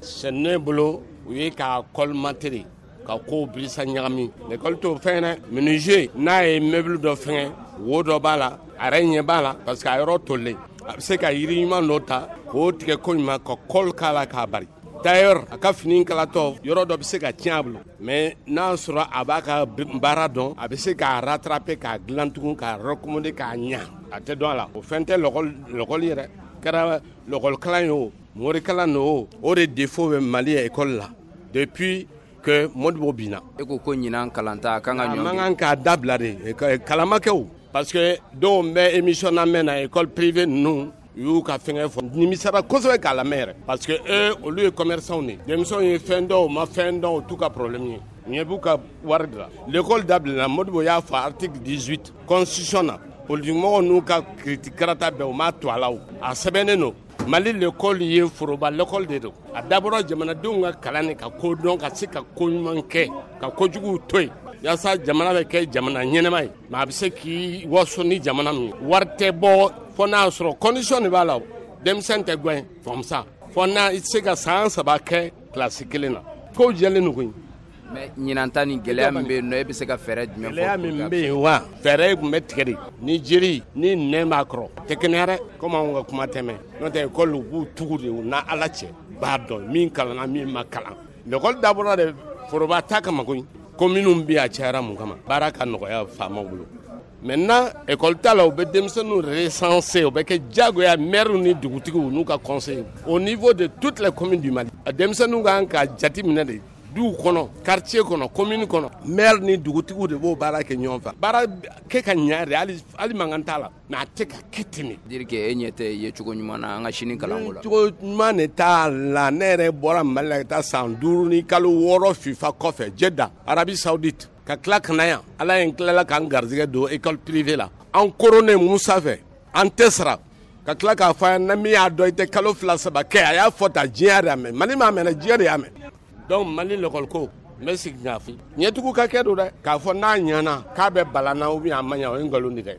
C'est ne bolo u ye k'a colmater ka kow bilisa ɲagami l'école t'o fɛn dɛ. Menuisier n'a ye meuble dɔ fɛngɛ, wo dɔ b'a la, a yɛrɛ ɲɛ b'a la parce que a yɔrɔ tolilen, a bɛ se ka yiri ɲuman dɔ ta k'o tigɛ ko ɲuman ka colle k'a la k'a bari. Tailleur a ka fini kalatɔ yɔrɔ dɔ bɛ se ka tiɲɛ a bolo, mais n'a sɔrɔ a b'a ka baara dɔn, a bɛ se k'a rattraper, k'a dilan tugun, k'a recommander, k'a ɲa. A tɛ dɔn a la. O fɛn tɛ l'école yɛrɛ kɛra l'école kalan ye o, morikalan don o, o de défaut bɛ Mali école la depuis que Modibo binna. E ko ko ɲinan kalanta kan ka ɲɔngiri. A man kan k'a dabila de, kalan ma kɛ o, parce que dɔw bɛ émission lamɛn na, école privée ninnu u y'u ka fɛngɛ fɔ, nimisara kosɛbɛ k'a lamɛn yɛrɛ, parce que eux olu ye commerçants de ye. Denmisɛnw ye fɛn dɔn, u ma fɛn dɔn, o t'u ka problème ye. Ɲɛ b'u ka wari de la. L'école dabilala, Modibo y'a fɔ article 18 constitution na, politique mɔgɔw n'u ka critique karata bɛɛ u m'a to a la o. A sɛbɛnnen don. Mali l'école ye foroba l'école de don. A dabɔra jamanadenw ka kalan de ka ko dɔn, ka se ka ko ɲuman kɛ, ka kojuguw to yen, yaasa jamana bɛ kɛ jamana ɲɛnɛma ye. Mais a bɛ se k'i waso ni jamana min ye. Wari tɛ bɔ fo n'a sɔrɔ condition de b'a la. Denmisɛn tɛ gɛn famusa fo n'a i tɛ se ka san 3 kɛ kilasi kelen na. Kow jɛlen don koyi. Mais ɲinan ta ni gɛlɛya min bɛ yen nɔ, e bɛ se ka fɛɛrɛ jumɛn fɔ? Gɛlɛya min bɛ yen wa, fɛɛrɛ tun bɛ tigɛ de ni jiri ni nɛn b'a kɔrɔ tɛ kɛnɛya dɛ, komi anw ka kuma tɛmɛ. N'o tɛ école u b'u tugu de u n'a Ala cɛ b'a dɔn min kalanna min ma kalan. L'école dabɔra de foroba ta kama koyi. Ko minnu bɛ a cayara mun kama, baara ka nɔgɔya faamaw bolo. Maintenant école ta la, u bɛ denmisɛnninw recenser, o bɛ kɛ diyagoya maire ni dugutigiw n'u ka conseil au niveau de toutes les communes du Mali. Denmisɛnninw kan ka jate minɛ de duw kɔnɔ, quartier kɔnɔ, commune kɔnɔ, maire ni dugutigiw de b'o baara kɛ ɲɔgɔn fɛ. Baara kɛ ka ɲa de, hali mankan t'a la, mais a tɛ ka kɛ ten de. Dire que e ɲɛ tɛ ye cogo ɲuman na an ka sini kalanko la. Cogo ɲuman de t'a la. Ne yɛrɛ bɔra Mali la ka taa san 5 ni kalo 6 FIFA kɔfɛ Jeddah, Arabie Saoudite, ka tila ka na yan. Ala ye n tilala k'an garijɛgɛ don école privée la. An koronnen Musa fɛ, an tɛ sara. Ka tila k'a fɔ an ye, min y'a dɔn i tɛ kalo 2 3 kɛ, a y'a fɔ tan, diɲɛ y'a mɛn, Mali m'a mɛn dɛ, diɲɛ de y'a mɛn. Donc Mali l'école ko n bɛ segin k'a fɔ, ɲɛtugu ka kɛ don dɛ, k'a fɔ n'a ɲɛna k'a bɛ balan na ou bien a ma ɲɛ, o ye nkalon de dɛ.